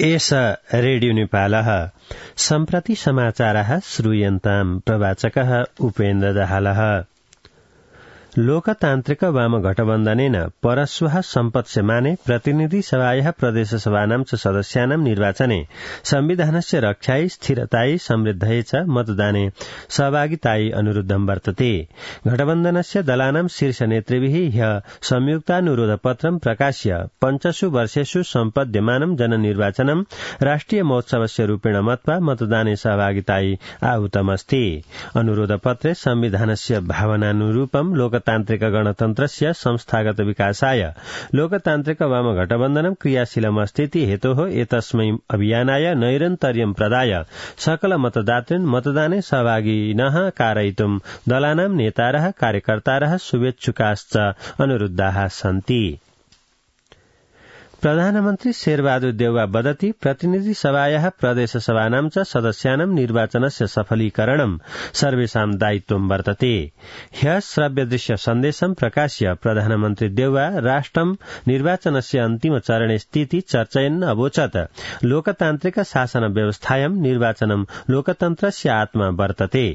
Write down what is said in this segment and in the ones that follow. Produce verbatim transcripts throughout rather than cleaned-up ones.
एष रेडियो नेपालः सम्प्रति समाचारः श्रूयन्ताम् प्रवाचकः उपेन्द्र दाहालः। लोकतान्त्रिक वाम गठबन्धनेन परश्वः सम्पत्स्यमाने प्रतिनिधि सभायाः प्रदेशसभानां च सदस्यानां निर्वाचने संविधानस्य रक्षायै स्थिरतायै समृद्धये च मतदाने सहभागितायै अनुरुद्धं वर्तते। गठबन्धनस्य दलानां शीर्षनेतृभिः ह्यः संयुक्तानुरोधपत्रं प्रकाश्य पञ्चसु वर्षेषु सम्पद्यमानं जननिर्वाचनं राष्ट्रिय महोत्सवस्य रूपेण मत्वा मतदाने सहभागितायै आहूतमस्ति। अनुरोधपत्रे संविधानस्य भावनानुरूपं लोक तान्त्रिक गणतन्त्रस्य संस्थागत विकासाय लोकतान्त्रिक वाम गठबन्धनं क्रियाशीलमस्तीति हेतोः एतस्मै अभियानाय नैरन्तर्यं प्रदाय सकल मतदातॄन् मतदाने सहभागिनः कारयितुं दलानां नेतारः कार्यकर्तारः शुभेच्छुकाश्च अनुरुद्धाः सन्ति। प्रधानमन्त्री शेरबहादुर देउवा वदति प्रतिनिधि सभायाः प्रदेशसभानां च सदस्यानां निर्वाचनस्य सफलीकरणं सर्वेषां दायित्वं वर्तते। ह्यः श्रव्यदृश्य सन्देशं प्रकाश्य प्रधानमन्त्री देउवा राष्ट्रं निर्वाचनस्य अन्तिम चरणे स्थिति चर्चयन् अवोचत् लोकतान्त्रिक शासन व्यवस्थायां निर्वाचनं लोकतन्त्रस्य आत्मा वर्तते।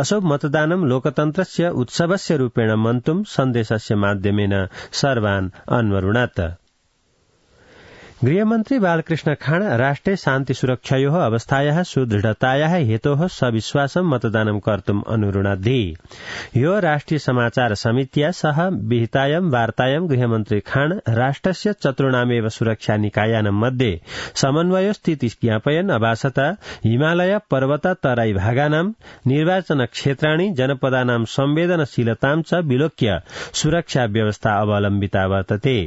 असौ मतदानं लोकतन्त्रस्य उत्सवस्य रूपेण मन्तुं सन्देशस्य माध्यमेन सर्वान् अन्वरुणत्। गृहमन्त्री बालकृष्ण खाँड राष्ट्रे शान्ति सुरक्षायोः अवस्थायाः सुदृढतायाः हेतोः सविश्वासं मतदानं कर्तुम् अनुरुणद्धि। यो राष्ट्रिय समाचार समित्या सह विहितायां वार्तायां गृहमन्त्री खाँड राष्ट्रस्य चतुर्णामेव सुरक्षा निकायानां मध्ये समन्वय स्थिति ज्ञापयन् अभासत हिमालय पर्वत तराई भागानां निर्वाचन क्षेत्राणि जनपदानां संवेदनशीलतां च विलोक्य सुरक्षा व्यवस्था अवलम्बिता वर्तते।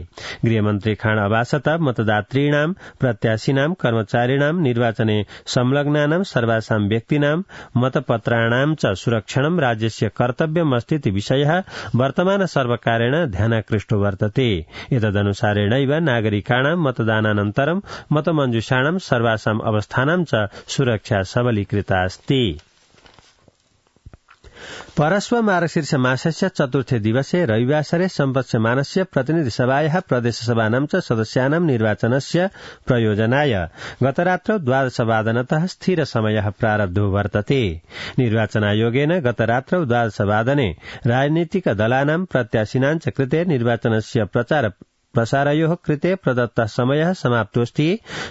गृहमन्त्री खाँड अभासत मतदान यात्रीणां प्रत्याशिनां कर्मचारिणां निर्वाचने संलग्नानां सर्वासां व्यक्तीनां मतपत्राणां च सुरक्षणं राज्यस्य कर्तव्यमस्तीति विषयः वर्तमान सर्वकारेण ध्यानाकृष्टो वर्तते। एतदनुसारेणैव नागरिकाणां मतदानानन्तरं मतमञ्जूषाणां सर्वासां अवस्थानां च सुरक्षा सबलीकृता अस्ति। परश्व मार्गशीर्ष मासस्य चतुर्थे दिवसे रविवासरे सम्पत्स्यमानस्य प्रतिनिधि सभायाः प्रदेशसभानां च सदस्यानां निर्वाचनस्य प्रयोजनाय गतरात्रौ द्वादशवादनतः स्थिर समयः प्रारब्धो वर्तते। निर्वाचनायोगेन गतरात्रौ द्वादशवादने राजनीतिक दलानां प्रत्याशिनां च कृते निर्वाचनस्य प्रचार प्रसारयोः कृते प्रदत्तः समयः समाप्तोऽस्ति।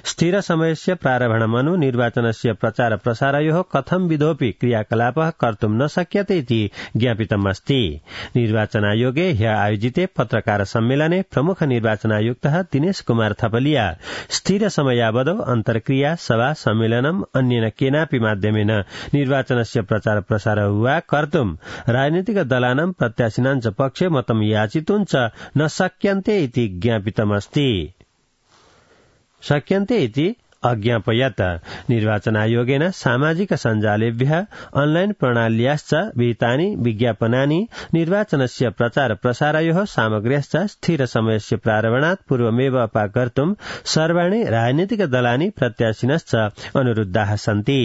स्थिर समयस्य प्रारम्भणमनु निर्वाचनस्य प्रचार प्रसारयोः कथं विधोऽपि क्रियाकलापः कर्तुं न शक्यते इति ज्ञापितमस्ति। निर्वाचनायोगे ह्यः आयोजिते पत्रकार सम्मेलने प्रमुख निर्वाचनायुक्तः दिनेश कुमार थपलिया स्थिर समयावधौ अन्तर्क्रिया सभा सम्मेलनम् अन्येन केनापि माध्यमेन निर्वाचनस्य प्रचार प्रसार वा कर्तुं राजनीतिक दलानां प्रत्याशिनां च पक्षे मतं याचितुं च न शक्यन्ते इति ज्ञापितमस्ति शक्यन्ते इति अज्ञापयत्। निर्वाचनायोगेन सामाजिक सञ्जालेभ्यः ऑनलाइन प्रणाल्याश्च विहितानि विज्ञापनानि निर्वाचनस्य प्रचार प्रसारयोः सामग्र्यश्च स्थिर समयस्य प्रारम्भणात् पूर्वमेव अपाकर्तुं सर्वाणि राजनीतिक दलानि प्रत्याशिनश्च अनुरुद्धाः सन्ति।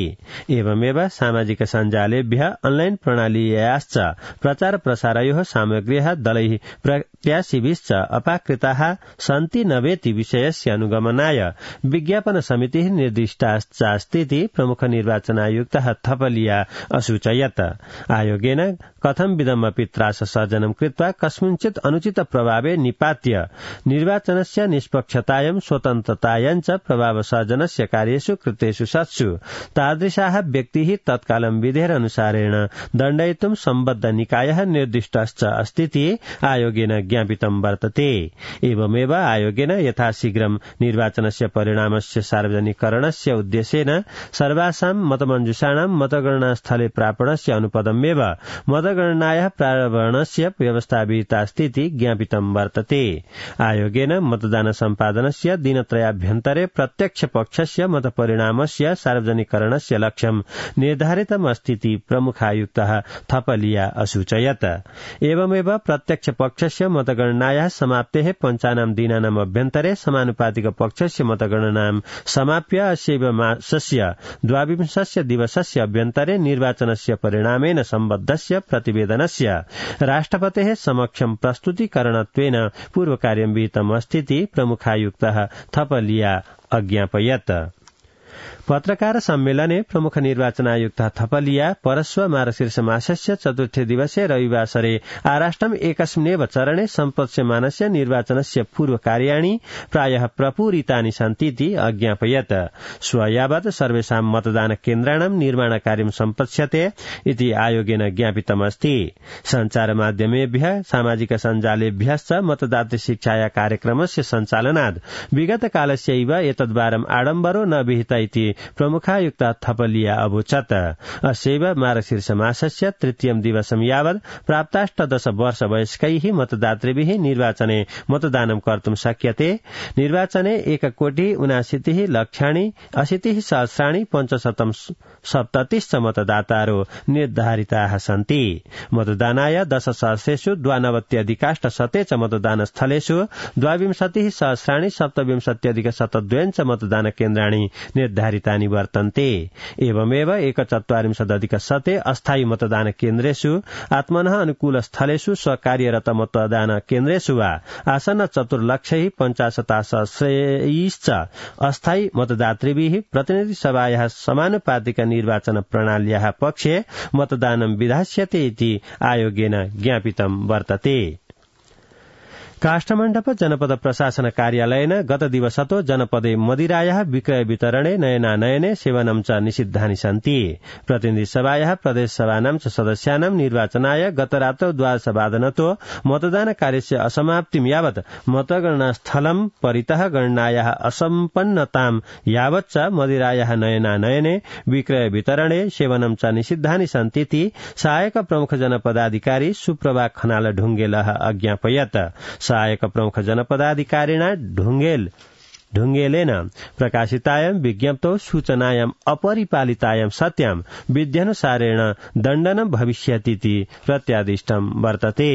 एवमेव सामाजिक सञ्जालेभ्यः ऑनलाइन प्रणाल्याश्च प्रचार प्रसारयोः सामग्र्यः दलैः प्रत्याशिभिश्च अपाकृताः सन्ति न वेति विषयस्य अनुगमनाय विज्ञापन समितिः निर्दिष्टास्ति प्रमुख निर्वाचनायुक्तः थपलिया असूचयत्। आयोगेन कथं विधमपि त्राससर्जनं कृत्वा कस्मिंश्चित् अनुचित प्रभावे निपात्य निर्वाचनस्य निष्पक्षतायां स्वतन्त्रतायां च प्रभावसर्जनस्य कार्येषु कृतेषु सत्सु तादृशाः व्यक्तिः तत्कालं विधेरनुसारेण दण्डयितुं सम्बद्ध निकायः निर्दिष्टश्च अस्तीति आयोगेन ज्ञापितं वर्तते। एवमेव आयोगेन यथाशीघ्रं निर्वाचनस्य परिणामस्य सार्वजनिकरणस्य उद्देश्येन सर्वासां मतमञ्जूषाणां मतगणना स्थले प्रापणस्य अनुपदमेव मतगणनायाः प्रारम्भणस्य व्यवस्था विहितास्तीति ज्ञापितं वर्तते। आयोगेन मतदान सम्पादनस्य दिनत्रयाभ्यन्तरे प्रत्यक्ष पक्षस्य मतपरिणामस्य सार्वजनिकरणस्य लक्ष्यं निर्धारितमस्तीति प्रमुखायुक्तः थपलिया असूचयत्। एवमेव प्रत्यक्ष पक्षस्य मतगणनायाः समाप्तेः पञ्चानां दिनानाम् अभ्यन्तरे समानुपातिक पक्षस्य मतगणनां समाप्य अस्यैव मासस्य द्वाविंशस्य दिवसस्य अभ्यन्तरे निर्वाचनस्य परिणामेन सम्बद्धस्य प्रतिवेदनस्य राष्ट्रपतेः समक्षं प्रस्तुतीकरणत्वेन पूर्वकार्यं विहितमस्तीति प्रमुखायुक्तः थपलिया अज्ञापयत्। पत्रकार सम्मेलने प्रमुख निर्वाचन आयुक्त थपलिया परस्व मार्गशीर्ष मासस्य चतुर्थे दिवसे रविवासरे आराष्ट्रम एकस्मिन्नेव चरणे सम्पत्स्यमानस्य निर्वाचनस्य पूर्वकार्याणि प्रायः प्रपूरितानि सन्तीति अज्ञापयत्। स्वयावत् सर्वेषां मतदान केन्द्राणां निर्माणकार्यं सम्पत्स्यते इति आयोगेन ज्ञापितमस्ति। सञ्चार माध्यमेभ्यः सामाजिक सञ्जालेभ्यश्च मतदातृ शिक्षाया कार्यक्रमस्य सञ्चालनाद् विगत कालस्यैव एतद्वारम् आडम्बरो न विहित इति प्रमुखायुक्त थपलिया अवोचत्। अस्यैव मार्गशीर्ष मासस्य तृतीयं दिवसं यावत् प्राप्ताष्टदश वर्ष वयस्कैः मतदातृभिः निर्वाचने मतदानं कर्तुं शक्यते। निर्वाचने एक कोटि उनाशीतिः लक्षाणि अशीतिः सहस्राणि पञ्चशतं सप्ततिश्च मतदातारो निर्धारिताः सन्ति। मतदानाय दश सहस्रेषु द्वानवत्यधिकाष्ट शते च मतदानस्थलेषु द्वाविंशतिः सहस्राणि सप्तविंशत्यधिक शतद्वयञ्च मतदान केन्द्राणि निर्धारितानि वर्तन्ते। एवमेव एकचत्वारिंशदधिक शते अस्थायी मतदान केन्द्रेषु आत्मनः अनुकूल स्थलेषु स्वकार्यरत मतदान केन्द्रेषु वा आसन्न चतुर्लक्षैः पञ्चाशतासहस्रैश्च अस्थायी मतदातृभिः प्रतिनिधि सभायाः समानुपातिक निर्वाचन प्रणाल्याः पक्षे मतदानं विधास्यते इति आयोगेन ज्ञापितं वर्तते। काष्ठमण्डप जनपद प्रशासन कार्यालयेन गत दिवसतो जनपदे मदिरायाः विक्रय वितरणे नयनानयने सेवनं च निषिद्धानि सन्ति। प्रतिनिधि सभायाः प्रदेश सभानां च सदस्यानां निर्वाचनाय गतरात्रौ द्वादशवादनतो मतदान कार्यस्य असमाप्तिं यावत् मतगणनास्थलं परितः गणनायाः असम्पन्नतां यावत् च मदिरायाः नयनानयने विक्रय वितरणे सेवनं च निषिद्धानि सन्तीति सहायक प्रमुख जनपदाधिकारी सुप्रभा खनाल ढुङ्गेलः अज्ञापयत्। सहायक प्रमुख जनपदाधिकारिणा ढुङ्गेल ढुङ्गेलेन प्रकाशितायां विज्ञप्तौ सूचनायां अपरिपालितायां सत्यां विध्यनुसारेण दण्डनं भविष्यतीति प्रत्यादिष्टं वर्तते।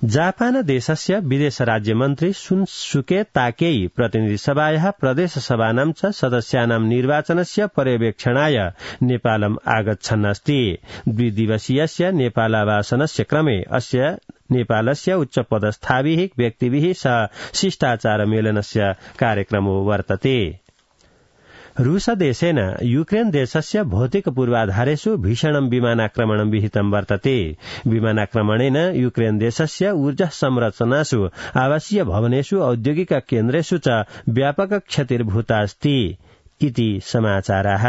जापान देशस्य विदेश राज्यमन्त्री सुनसुके ताकेई प्रतिनिधि सभायाः प्रदेश सभानां च सदस्यानां निर्वाचनस्य पर्यवेक्षणाय नेपालम् आगच्छन् अस्ति। द्विदिवसीयस्य नेपालावासनस्य क्रमे अस्य नेपालस्य उच्चपदस्थाभिः व्यक्तिभिः सह शिष्टाचार मेलनस्य कार्यक्रमो वर्तते। रूस देशेन यूक्रेन देशस्य भौतिक पूर्वाधारेषु भीषणं विमानाक्रमणं विहितं वर्तते। विमानाक्रमणेन यूक्रेन देशस्य ऊर्जा संरचनासु आवासीय भवनेषु औद्योगिक केन्द्रेषु च व्यापक क्षतिर्भूता अस्ति इति समाचाराः।